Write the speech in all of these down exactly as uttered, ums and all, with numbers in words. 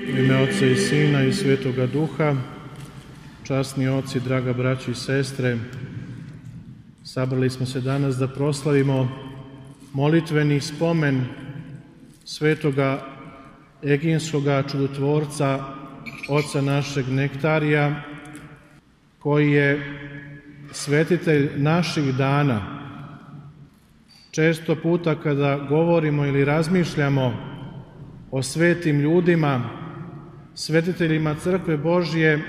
U ime Otca i Sina i Svetoga Duha, časni oci, draga braći i sestre, sabrali smo se danas da proslavimo molitveni spomen svetoga Eginskoga čudotvorca, oca našeg Nektarija, koji je svetitelj naših dana. Često puta kada govorimo ili razmišljamo o svetim ljudima, svetiteljima Crkve Božje,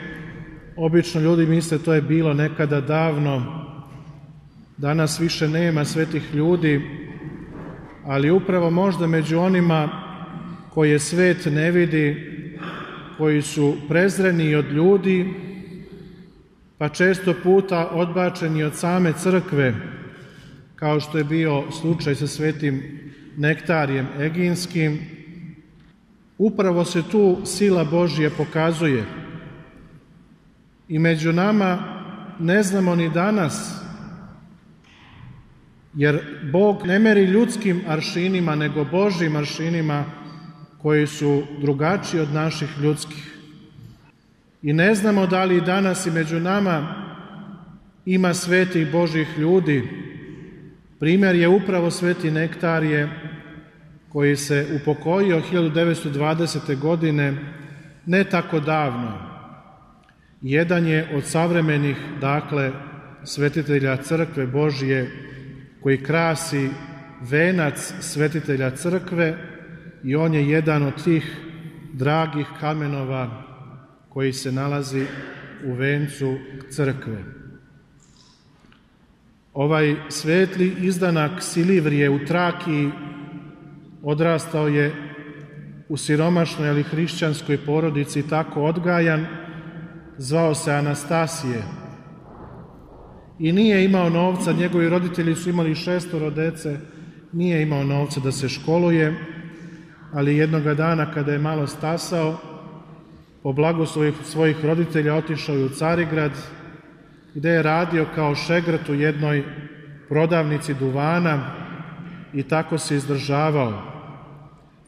obično ljudi misle to je bilo nekada davno, danas više nema svetih ljudi, ali upravo možda među onima koje svet ne vidi, koji su prezreni od ljudi, pa često puta odbačeni od same Crkve, kao što je bio slučaj sa svetim Nektarijem Eginskim, upravo se tu sila Božja pokazuje. I među nama ne znamo ni danas, jer Bog ne meri ljudskim aršinima, nego Božjim aršinima koji su drugačiji od naših ljudskih. I ne znamo da li danas i među nama ima svetih Božjih ljudi. Primjer je upravo sveti Nektarije, koji se upokojio hiljadu devetsto dvadesete. godine, ne tako davno. Jedan je od savremenih, dakle, svetitelja Crkve Božje, koji krasi venac svetitelja Crkve, i on je jedan od tih dragih kamenova koji se nalazi u vencu Crkve. Ovaj svetli izdanak Silivrije u Trakiji odrastao je u siromašnoj, ali hrišćanskoj porodici, tako odgajan, zvao se Anastasije. I nije imao novca, njegovi roditelji su imali šestoro dece, nije imao novca da se školuje, ali jednoga dana kada je malo stasao, po blagoslovu svojih roditelja otišao je u Carigrad, gde je radio kao šegrt u jednoj prodavnici duvana i tako se izdržavao.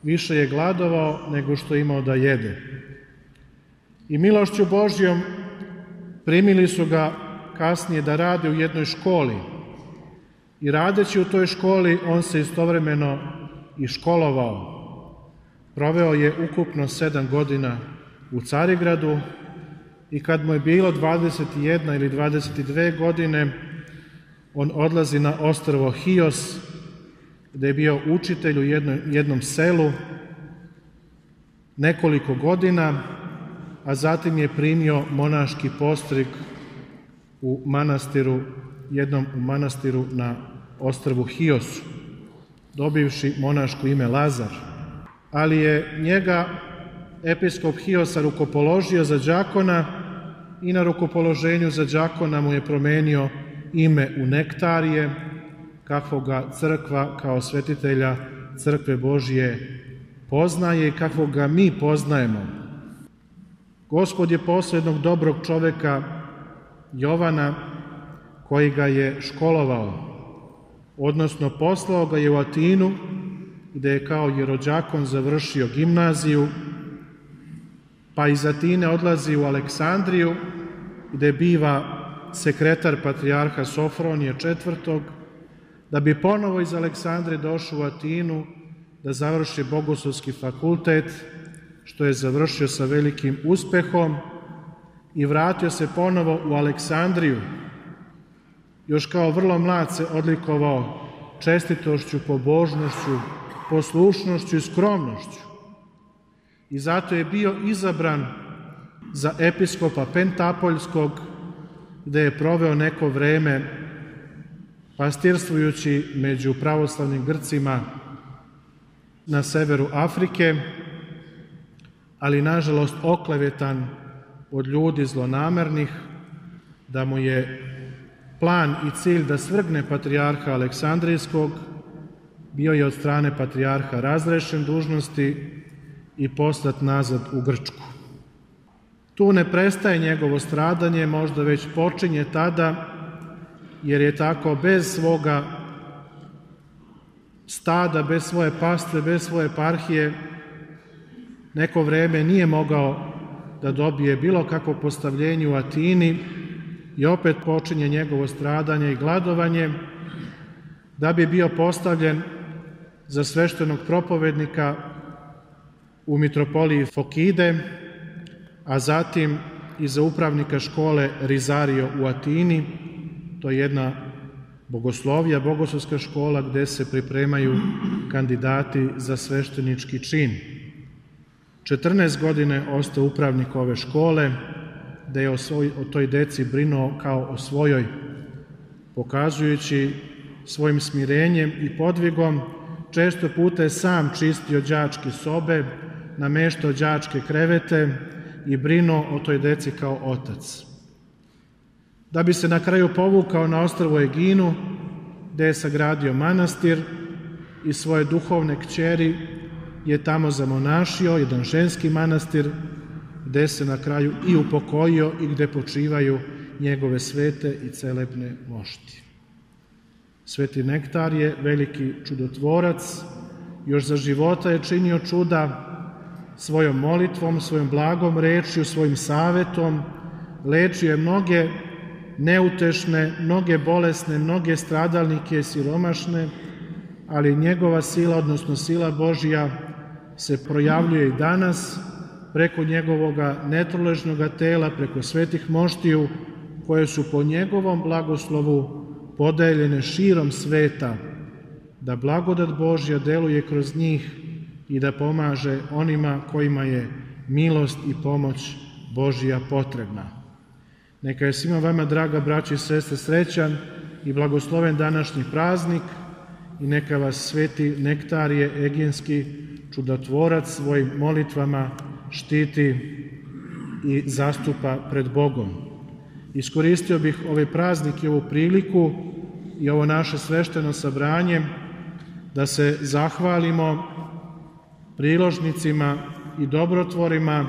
Više je gladovao nego što je imao da jede. I milošću Božjom primili su ga kasnije da radi u jednoj školi. I radeći u toj školi, on se istovremeno i školovao. Proveo je ukupno sedam godina u Carigradu i kad mu je bilo dvadeset jedna ili dvadeset dve godine, on odlazi na ostrvo Hios, gde je bio učitelj u jednom, jednom selu nekoliko godina, a zatim je primio monaški postrig u manastiru, jednom u manastiru na ostrvu Hiosu, dobivši monaško ime Lazar. Ali je njega episkop Hiosa rukopoložio za đakona i na rukopoloženju za đakona mu je promenio ime u Nektarije, kakvog ga Crkva kao svetitelja Crkve Božje poznaje i kakvog ga mi poznajemo. Gospod je poslao jednog dobrog čoveka, Jovana, koji ga je školovao, odnosno poslao ga je u Atinu, gde je kao jerođakon završio gimnaziju, pa iz Atine odlazi u Aleksandriju, gde biva sekretar patrijarha Sofronije četvrtog, da bi ponovo iz Aleksandrije došao u Atinu da završi Bogoslovski fakultet, što je završio sa velikim uspehom, i vratio se ponovo u Aleksandriju. Još kao vrlo mlad se odlikovao čestitošću, pobožnošću, poslušnošću i skromnošću. I zato je bio izabran za episkopa Pentapoljskog, gde je proveo neko vreme pastirstvujući među pravoslavnim Grcima na severu Afrike, ali nažalost oklevetan od ljudi zlonamernih, da mu je plan i cilj da svrgne patrijarha Aleksandrijskog, bio je od strane patrijarha razrešen dužnosti i poslat nazad u Grčku. Tu ne prestaje njegovo stradanje, možda već počinje tada, jer je tako bez svoga stada, bez svoje pastve, bez svoje eparhije, neko vreme nije mogao da dobije bilo kakvo postavljenje u Atini i opet počinje njegovo stradanje i gladovanje, da bi bio postavljen za sveštenog propovednika u mitropoliji Fokide, a zatim i za upravnika škole Rizario u Atini. To je jedna bogoslovija, bogoslovska škola gde se pripremaju kandidati za sveštenički čin. četrnaest godine ostao upravnik ove škole, da je o, svoj, o toj deci brinuo kao o svojoj, pokazujući svojim smirenjem i podvigom. Često puta je sam čistio đačke sobe, nameštao đačke krevete i brinuo o toj deci kao otac. Da bi se na kraju povukao na ostrvo Eginu, gde je sagradio manastir i svoje duhovne kćeri je tamo zamonašio, jedan ženski manastir, gde se na kraju i upokojio i gde počivaju njegove svete i celebne mošti. Sveti Nektar je veliki čudotvorac, još za života je činio čuda svojom molitvom, svojom blagom rečju, svojim savetom, lečio je mnoge neutešne, mnoge bolesne, mnoge stradalnike, siromašne, ali njegova sila, odnosno sila Božja, se projavljuje i danas preko njegovoga netroležnoga tela, preko svetih moštiju, koje su po njegovom blagoslovu podeljene širom sveta, da blagodat Božja deluje kroz njih i da pomaže onima kojima je milost i pomoć Božja potrebna. Neka je svima vama, draga braći i sestre, srećan i blagosloven današnji praznik i neka vas sveti Nektarije Eginski, čudotvorac, svojim molitvama štiti i zastupa pred Bogom. Iskoristio bih ovaj praznik i ovu priliku i ovo naše svešteno sabranje da se zahvalimo priložnicima i dobrotvorima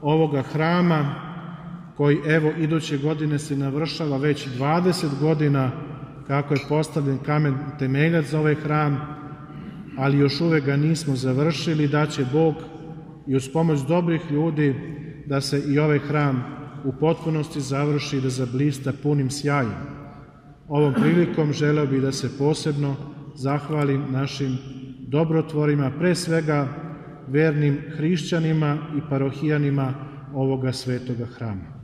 ovoga hrama koji evo iduće godine se navršava već dvadeset godina kako je postavljen kamen temeljac za ovaj hram, ali još uvek ga nismo završili, da će Bog i uz pomoć dobrih ljudi da se i ovaj hram u potpunosti završi i da zablista punim sjajem. Ovom prilikom želeo bih da se posebno zahvalim našim dobrotvorima, pre svega vernim hrišćanima i parohijanima ovoga svetoga hrama.